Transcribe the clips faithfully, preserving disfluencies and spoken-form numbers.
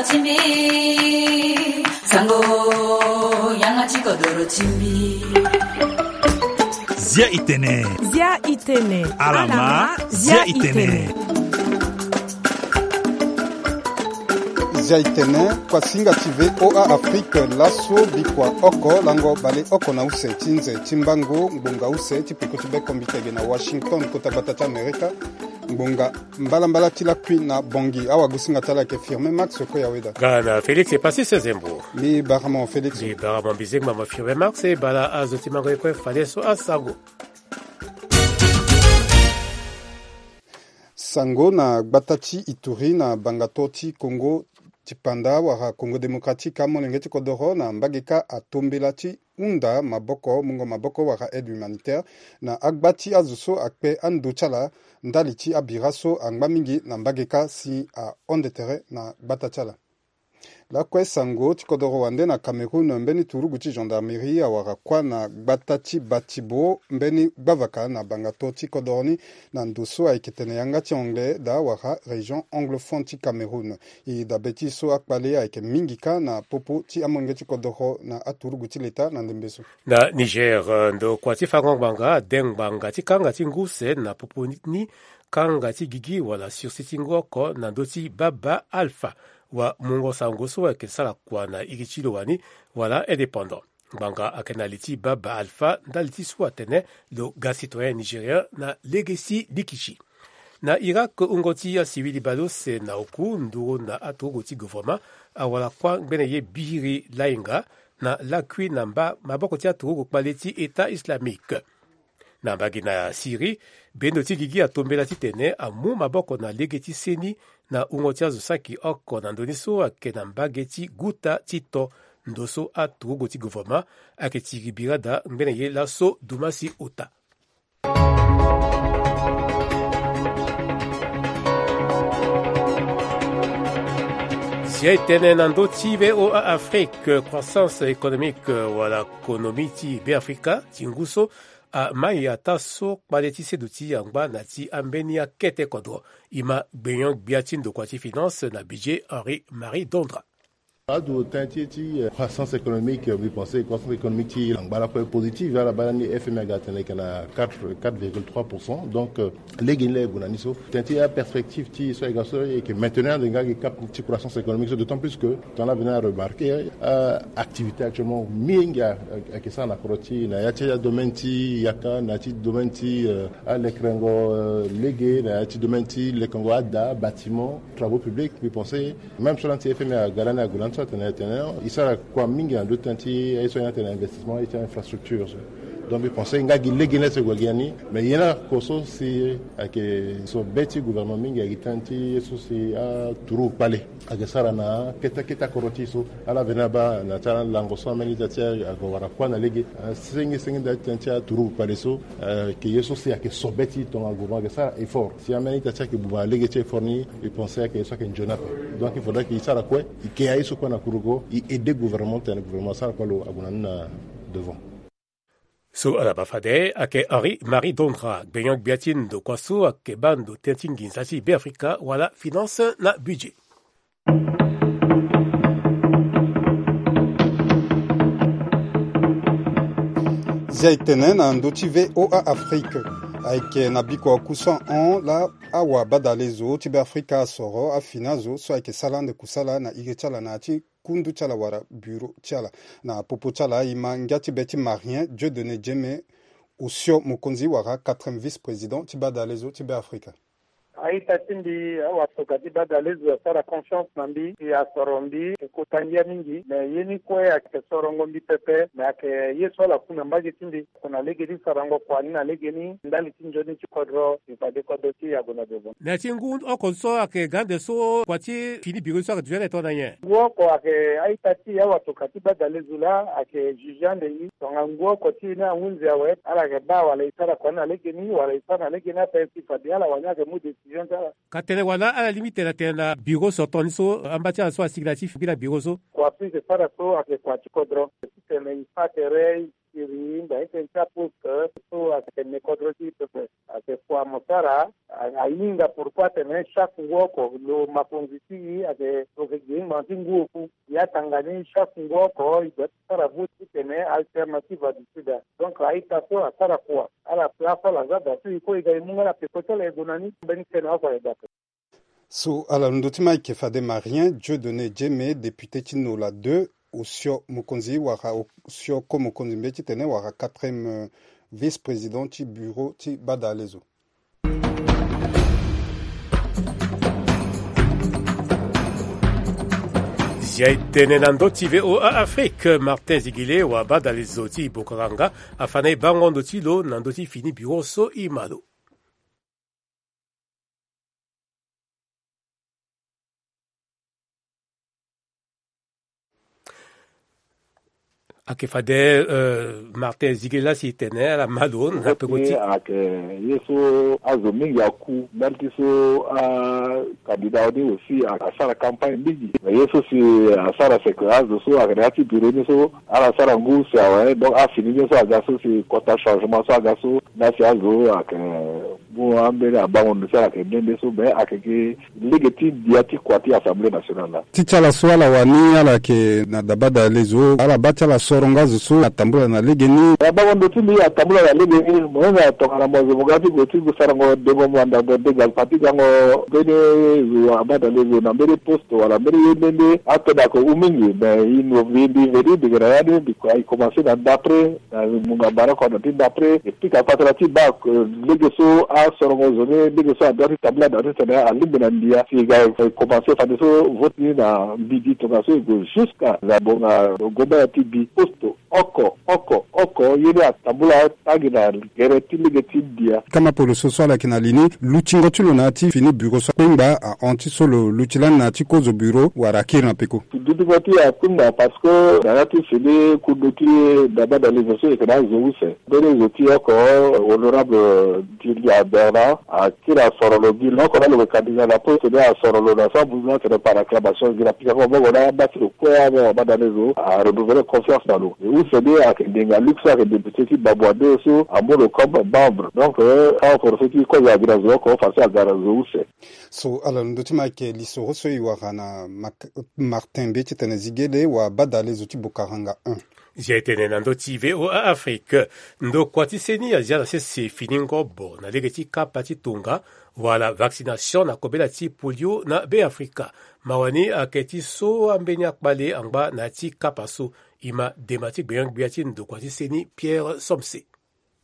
Timbi, sango, yanga ti kodoro timbi. Zia itene. Zia itene. Alama, zia itene. Zia itene, kuasinga ti V O A Afrique, laso bikua oko, lango bale oko na use ti nze ti mbango, ngbonga use ti peko ti be kombi tege na Washington, kota gbata ti Amerika. Ngbonga mbalambala ti lakui na Bangui. Awagosinga ti ala ayeke Firmin Max, kue ya weda. Nga na Félix e pasi sezembo. Mbi bara mo Félix. Mbi bara mo mbi zengba mo Firmin Max, e bara azo ti mango ye kue fade so asango. Sango na gbata ti Ituri na bangato ti Congo ti panda wala Congo Démocratique, amolenge ti kodoro na mbage kâ atombela ti hunda maboko, mungo maboko wala aide humanitaire na agba ti azo so akpe ando ti ala ndali ti abira so angba mingi na mbage kâ si ahonde tere na gbata ti ala. Lakue sango ti kodoro wande na Cameroun, mbeni turugu ti gendarmerie awara kuâ na gbata ti Batibo, mbeni gbavaka na bangato ti kodoro ni na ndo so ayeke tene yanga ti anglais daa wala région anglophone ti Cameroun. E dabe ti e so akpale ayeke mingi kâ na popo ti amolenge ti kodoro na aturugu ti leta na ndembe so. Na Niger, eh, ndokua ti fango ngbanga ade ngbanga ti kanga ti ngu use na popo ni, kanga ti gigi wala sursis ti ngu oko na ndö ti baba Alpha. Wa mungo sango so ayeke sara kua na iri ti lo wani wala indépendant. Ngbanga ayeke na li ti baba Alpha ndali ti so atene lo ga citoyen nigérien na lege ti likiti. Na Irak, wungo ti asivili baleuse na oku nduru na aturugu ti gouvernement awara kuâ ngbene ye biri lainga na lakui na mba maboko ti aturugu kpale ti État islamique. Na mbage na Syrie, bendo ti gigi atombela titene amu maboko na lege ti seni na wungo ti azo saki oko na ndö ni so ayeke na mbage ti guta ti to, ndo so aturugu ti gouvernement ayeke tiri bira daa ngbene ye laso dumasi ota. Si aye tene na ndö ti V O A Afrique, croissance économique wala konomi ti Beafrika ti ngu so amai ataa so kpale ti seduti angba na ti ambeni akete kodro. E ma gbenyo-gbia ti ndokua ti finance na budget Henri Marie Dondra. Adu tënë ti, ti, eh, croissance économique, eh, mbi pense croissance économique ti angba lakue positive, ala baa lani F M I aga tene ayeke na quatre, quatre virgule trois pour cent. Donc, eh, lege ni laa e gue na ni so. Tënë ti aperspective ti e so ayeke ga so e yeke maintenir ande nga gi cap ti croissance économique so, d'autant plus que tongana vena remarquer, eh, activité actuellement mingi a, a, ayeke sara na kodro ti e, na ya ti adomaine ti yaka, na ya ti domaine ti, eh, alekerengo, eh, lege, na ya ti domaine ti lekengo ada, bâtiment, travaux publics, mbi pense. Même so lani ti F M I aga lani ague lani so atene, atene e sara kua mingi na ndö ti tënë ti aye so ayen atene investissement, aye ti infrastructure so. Donc mbi pense nga gi lege ni laa si e gue gi ya ni, mais ye ni oko so si ayeke so be ti gouvernement mingi ayeke gi tënë ti ye so si aturugu kpale ayeke sara na kete kete akodro ti e so. Ala veni abaa na ti alango so ambeni ita ti e ague wara kuâ na lege, eh, senge senge nda ti tënë ti aturugu kpale so, eh, ayeke ye so si ayeke so be ti e tongana gouvernement ayeke sara effort. Si ambeni ita ti e ayeke buba na lege ti effort ni, e pense ayeke ye so ayeke nzoni ape. Donc il faudra que e sara kue, e ke aye so kue na kurugo, e aider gouvernement titene gouvernement asara kue lo ague na ni na devant. So ala baa fade ayeke Henri Marie Dondra, gbenyo-gbia ti ndokua so ayeke baa ndo tënë ti nginza ti Beafrika wala finance na budget. Zia e tene na ndö ti V O A Afrique. Ayeke na bikua oku so ahon laa awabadalezo ti Beafrika asoro afini azo so ayeke sara ande kusala na iri ti ala na ya ti kundu ti ala wala bureau ti ala. Na popo ti ala e ma ngia ti be ti Marien Dieudonné Djeme, osio mokonzi wala quatrième vice-président ti badalezo ti Beafrika. A-ita ti mbi, awatokua ti badalezo asara confiance na mbi, e asoro mbi, e kota ngia mingi, me ye ni kue ayeke sorongo mbi pepe, me ayeke ye so ala ku na mbage ti mbi. Kua na lege ti sarango kua ni na lege ni ndali ti nzoni ti kodro, e fade kodro ti e ague na devant. Na ya ti ngu oko so ayeke ga ande so kua ti fini bureau so ayeke duti ande tongana nyen? Ngu oko ayeke a-ita ti e, awatokua ti badalezo laa ayeke juge ande e. Tongana ngu oko ti e ni ahunzi awe, ala yeke baa wala e sara kua ni na lege ni wala e sara na lege ni ape, si fade ala wani ayeke mu décision ti ala. Ka tene wala ala lingbi tene atene na bureau sortant ni so amba ti ala so asigi na ya ti fini bureau so? Kua so e yeke sara so ayeke kua ti kodro. Titene e sara tere, e siri nda ti tënë ti aposte so ayeke tene kodro ti e pepe. Ayeke kua mo sara. Ahinga pourquoi atene chaque ngu oko lo makonzi ti e ayeke lo yeke gi ngbango ti ngu oku. Ya tanga ni chaque ngu oko e doit ti sara vote ti tene Alternative du Sud. Donc a-ita so asara kua. Ala pla so ala za da so e kue e ga e mu nga na peko ti ala e gue na ni mbeni tene oko aye da. So ala londo ti Mike Fade Marien, Dieudonné Djeme, député ti Nola deux, osio mokonzi wala osio ko mokonzi mbeti tene wala quatrième vice-président ti bureau ti Badalezo. Zia e tene na ndö ti V O A Afrique, Martin Zigele wa Badalezo ti Bokaranga afa na e bango ndo ti lo na ndö ti fini bureau so e ma lo. Ayeke fade, euh, Martin Zigela si tene ala ma lo na peko ti. Ayeke ye so azo mingi aku mbali ti so akandida ni aussi asara campagne mingi. Mais ye so si asara seke azo so ayeke na ya ti bureau ni so ala sara ngu si awe, donc afini ni so aga so si kota changement so aga so. Nda si azo ayeke mu ambeni abango ndo ti ala ayeke nde nde so, mais ayeke gi lege ti ndia ti kua ti Assemblée nationale laa. Ti ti ala so ala wani ala yeke na dabada lezo, ala baa ti ala sorongo azo so atambula na legeni. Abango ndo ti mbi atambula na legeni, mo hinga tongana mo zo mo ga ti gue ti gue sarango dengo mo anda mo denga parti gango mbeni zo abada lezo na mbeni poste wala mbeni ye nde nde atene ayeke hu mingi, mais e no mbi mbi veni mbi yeke na ya ni mbi kua e commencer na d'après. Na munga bara oko na ti ndapre e pika patara ti baa lege so asorongo zo ni, lege so adua ti tambula daa titene alingbi na ndia si e ga e komanse fade so vote ni na mbidi tongaso e gue jusqu'à na bonga gomba ya ti bi posto oko oko oko ye ni atambula tangi na gere ti lege ti ndia. Kama polo so so ala yeke na li ni lutingo ti lo na ya ti fini bureau so akpengba ahon ti so lo luti lani na ya ti kozo bureau wala akiri na peko. Dutingo ti akpengba parce que na ya ti fini kundu ti ndaba na lezo so e yeke na azo use. Mbeni zo ti oko honorable Julia Bernard akiri asoro lo gi lo oko na lo yeke kandida na poste ni asoro lo na sambuza atene par acclamation gi na pika koma bongo na amba ti lo kue ame wabanda lezo a renouveler confiance na lo. E use ni ayeke ndenga luxe ayeke député ti Bamboua deux so amu lo comme membre. Donc awa poro so ti kozo agi na zo oko façon aga na zo use. So ala londo ti ma ayeke lisoro so e wara na Martin mbe titene Zigele wabadale zo ti Bokaranga un. Zia e tene na ndö ti VOA Afrique. Ndokua ti seni azia na sese fini ngobo na lege ti kapa ti tonga wala vaccination na kobela ti polio na Beafrika. Mawa ni ayeke ti so ambeni akpale angba na ya ti kapa so. E ma dema ti gbenyo-gbia ti ndokua ti seni Pierre Somse.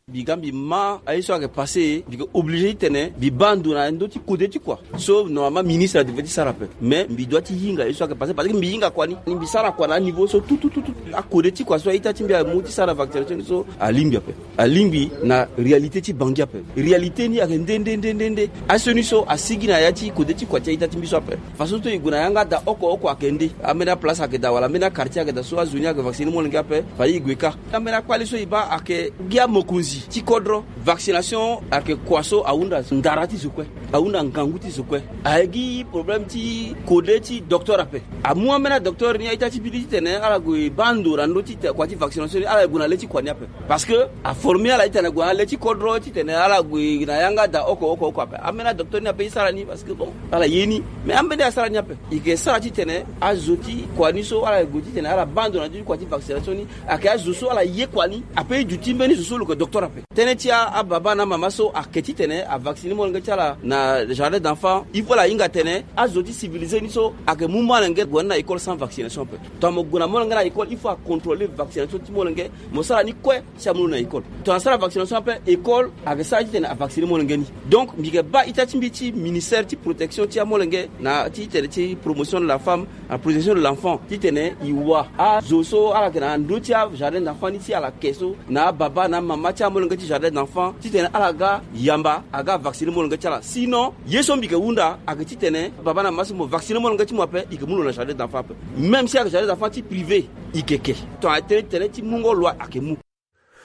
Mbi ga mbi ma aye so ayeke passe mbi yeke oblige titene mbi baa ndo na ndö ti kode ti kua so normalement ministre adevait ti sara ape. Mais mbi doit ti hinga aye so ayeke passe parce que mbi hinga kua ni mbi sara kua na aniveau so tutututu. Akode ti kua so a-ita ti mbi amu ti sara vaccination ni so alingbi ape. Alingbi na réalité ti Bangui ape. Réalité ni ayeke nde nde nde nde nde asioni so asigi na ya ti kode ti kua ti a-ita ti mbi so ape. Façon so e gue na yanga daa oko oko ayeke nde ambeni aplace ayeke daa wala ambeni aquartier ayeke daa so azo ni ayeke vacciner molenge ape. Fade e gue kâ. Ambeni akpale so e baa ayeke gi amokonzi ti kodro. Vaccination ayeke kua so ahunda ndara ti zo kue. Ahunda ngangu ti zo kue. Aye gi problème ti kode ti docteur ape. Amu ambeni adocteur ni a-ita ti mbi ni titene ala gue baa ndo na ndö ti kua ti vaccination ni ala gue na le ti kua ni ape. Parce que aformer ala titene ague na le ti kodro titene ala gue na yanga daa oko oko oko ape. Ambeni adocteur ni ape e sara ni parce que bon ala ye ni. Mais ambeni asara ni ape. E yeke sara titene azo ti kua ni so ala gue titene ala baa ndo na ndö ti kua ti vaccination ni. Ayeke azo so ala ye kua ni ape e duti mbeni zo so lo yeke docteur ape. Tënë ti ababa na amama so ayeke titene avacciner molenge ti ala na jardin d'enfant. Il faut ala hinga atene azo ti civilisé ni so ayeke mu molenge gue ni na école sans vaccination ape. Tongana mo gue na molenge na école il faut acontrôler vaccination ti molenge. Mo sara ni kue si amu lo na école. Tongana asara vaccination ape école ayeke sara titene avacciner molenge ni. Donc mbi yeke baa ita ti mbi ti ministère ti protection ti amolenge na ti tene ti promotion de la femme, la protection de l'enfant titene e wa azo so ala yeke na ndö ti ajardin d'enfant ni ti ala yeke so na ababa na amama ti amolenge ti jardin d'enfant titene ala ga yamba aga avacciner molenge ti ala. Sinon ye so mbi yeke hunda ayeke titene baba na mama so mo vacciner molenge ti mo ape e yeke mu lo na jardin d'enfant ape. Même si ayeke jardin d'enfant ti privé e yeke ke. Tongana tënë tënë ti mungo loi ayeke mu.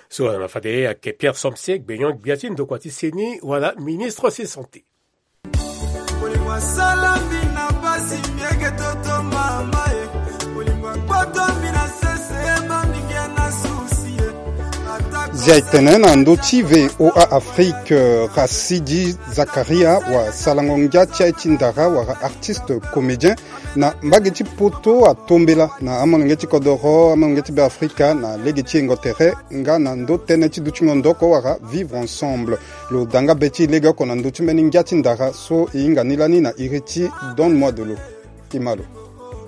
So wala na fade ayeke Pierre Somse gbenyo-gbia ti ndokua ti seni wala ministre ti santé. Molimo asala mbi na mpasi mbi yeke toto mama e. Molimo akpoto mbi na sese ma mbi ngia na susi e. Ata Zia etene na ndö ti VOA Afrique, Rasidi Zakaria, wasalango ngia ti aye ti ndara wala artiste comédien na mbage ti poto, atombela na amolenge ti kodoro, amolenge ti Beafrika na lege ti yengo tere nga na ndö tënë ti dutingo ndo oko wala vivre ensemble. Lo da nga be ti e legeoko na ndö ti mbeni ngia ti ndara so e hinga ni lani na iri ti Donne-moi de l'eau. Ti ma lo.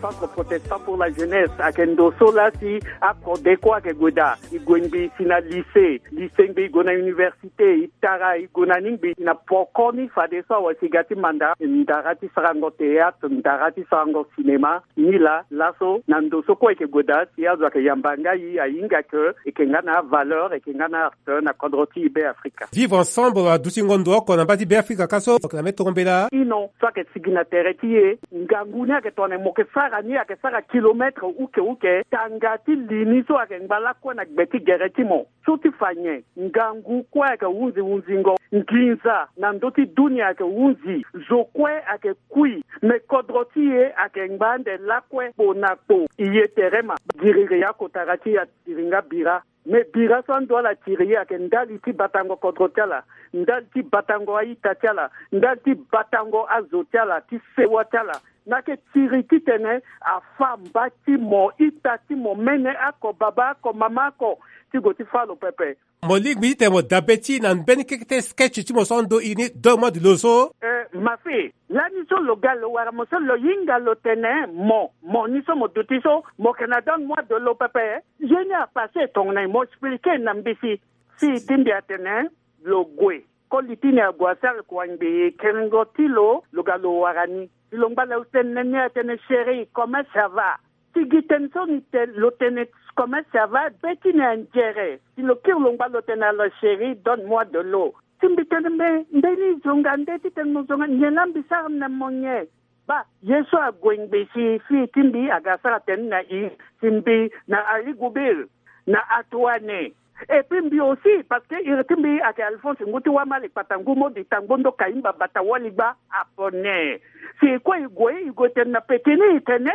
Centre protestant pour la jeunesse ayeke ndo so laa si akode kue ayeke gue daa. E gue ngbii si na lycée, lycée ngbii e gue na université, e tara e gue na ni ngbii na poko ni fadeso awe si e ga ti manda ndara ti sarango théâtre, ndara ti sarango cinéma. Ni laa laso na ndo so kue e yeke gue daa si azo ayeke yamba nga e, ahinga ke e yeke nga na avaleur, e yeke nga na art na kodro ti e Beafrika. Vivre ensemble adutingo ndo oko na mbage ti Beafrika ka so mo yeke na mbeni toro mbela. Ino so ayeke sigi na tere ti e, ngangu ni ayeke tongana mo yeke sara ni, ayeke sara kilomètre uke uke, tanga ti li ni so ayeke ngba lakue na gbe ti gere ti mo. So ti fa nyen? Ngangu kue ayeke hunzi hunzingo, nginza na ndö ti dunia ayeke hunzi, zo kue ayeke kui, me kodro ti e ayeke ngba ande lakue kpo na kpo. E ye tere ma giriri akotara ti e atiri nga bira. Me bira so ando ala tiri e ayeke ndali ti batango kodro ti ala, ndali ti batango a-ita ti ala, ndali ti batango azo ti ala, ti sewa ti ala. Na yeke tiri titene afa mba ti mo, ita ti mo, mene oko, baba oko, mama oko, ti gue ti fâ lo pepe. Mo lingbi titene mo dabe ti e na mbeni kekete sketch ti mo so ando iri ni Donne-moi de l'eau so. Eh, ma fille, lani so lo ga lo wara mo so lo hinga lo tene mo, mo ni so mo duti so, mo yeke na Donne-moi de l'eau pepe. Ye ni apasse tongana nyen? Mo expliquer na mbisi. Si ti mbi atene lo gue. Koli ti ni ague asara kua ngbii, kiringo ti lo, lo ga lo wara ni. Si lo ngba lo tene ni atene chérie, comment ça va? Si gi tënë so ni tene, lo tene comment ça va, be ti ni anzere. Si lo kiri lo ngba lo tene alors chérie, donne-moi de l'eau. Si mbi tene mbe, mbeni zonga nde titene mo zonga, nyen laa mbi sara na mo nyen? Baa, ye so ague ngbii si fille ti mbi aga asara tene na e, si mbi na Aligubir, na Atuane. Et puis mbi aussi, parce que iri ti mbi ayeke Alphonse Ngu ti Wamali, kpata ngu Modi, tangbondo Kayimba, bata waligba, Apone. Si e kue e gue, e gue tene na pekini, e tene,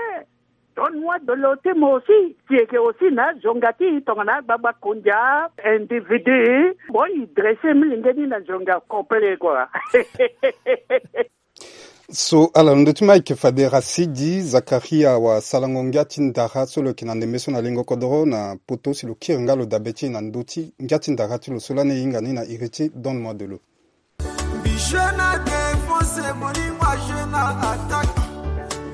donne-moi de l'eau ti mo aussi. Si e yeke aussi na azonga ti e tongana agbagba kondia, individu. Bon, e dresse milenge ni na zonga complet quoi. So ala londo ti ma ayeke fade Rasidi Zakaria, wasalango ngia ti ndara so lo yeke na ndembe so na lengo kodoro na poto, si lo kiri nga lo dabe ti e na ndö ti ngia ti ndara ti lo so lani e hinga ni na iri ti Donne-moi de l'eau. Mbi jeu na défense, molimo ajeu na attaque.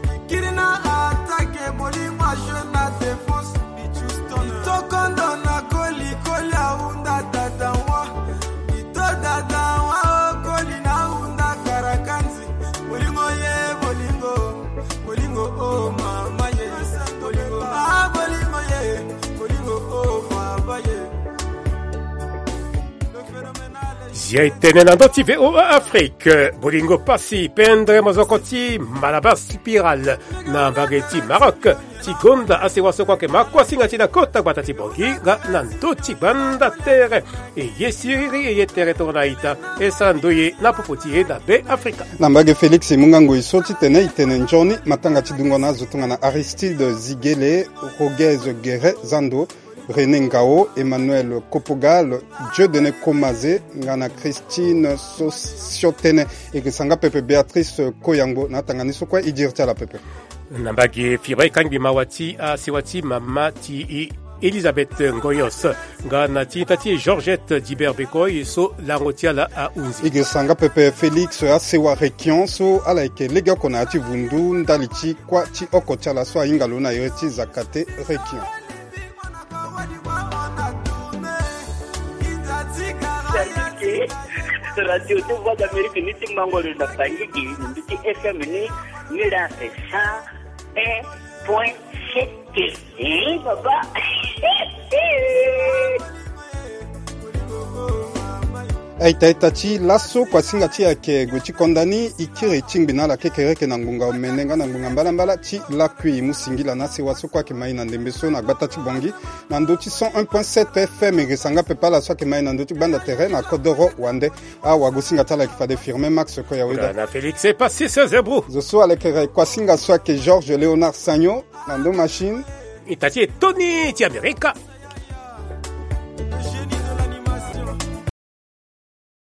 Mbi kiri na attaque, molimo ajeu na défense. Mbi tokondo na koli, koli ahunda dada wa. Mbi to dada wa, o koli na ahunda karakanzi. Bolingo ye, bolingo, bolingo, oh mama ye, bolingo, ah, bolingo ye, bolingo, oh mama ye. Zia etene na ndö ti VOA Afrique, bolingo pasi, pendre mozoko ti Malabar Spiral na mbage ti Maroc. Ti gonda asewa so kue ayeke ma kuasinga ti e na kota gbata ti Bangui nga na ndö ti gbanda tere. E ye siriri, e ye tere tongana ita, e sara ndoye na popo ti e na Beafrika. Na mbage Félix e mu nga ngoi so titene e tene nzoni matanga ti dungo na azo tongana Aristide Zigele, Roguez Guéret Zando, René Ngao, Emmanuel Kopogal, Dieudonné Komaze nga na Christine Sosiotene. E yeke sanga pepe Béatrice Koyangbo na atanga ni so kue. E diri ti ala pepe. Na mbage Fiba e kangbi mawa ti asewa ti mama ti e, Elisabeth Ngoyos, nga na ti ita ti e Georgette Dibert Bekoy so lango ti ala ahunzi. E yeke sanga pepe Félix asewa Réquion so ala yeke legeoko na ya ti vundu ndali ti kuâ ti oko ti ala so ahinga lo na iri ti Zakate Réquion. Radio ti Voix d'Amérique ni ti Mangoro na Bangui, ni ti F M ni, ni la cent un point sept. Eh, baba. Aita ita ti laso, kuasinga ti e ayeke gue ti konda ni. E kiri e tingbi na ala kekereke na ngbonga omene nga na ngbonga mbalambala ti lakui. E mu singila na asewa so kue ayeke ma e na ndembe so na gbata ti Bangui na ndö ti cent un point sept F M. E yeke sanga pepe ala so ayeke ma e na ndö ti gbanda tere na kodoro wande. Awagosinga ti ala ayeke fade Firmin Max Koyaweda. Na Félix Epasis Zebrou. Zo so alekere kuasinga so ayeke Georges Léonard Sagno na ndo machine. Ita ti e Tony ti Amerika.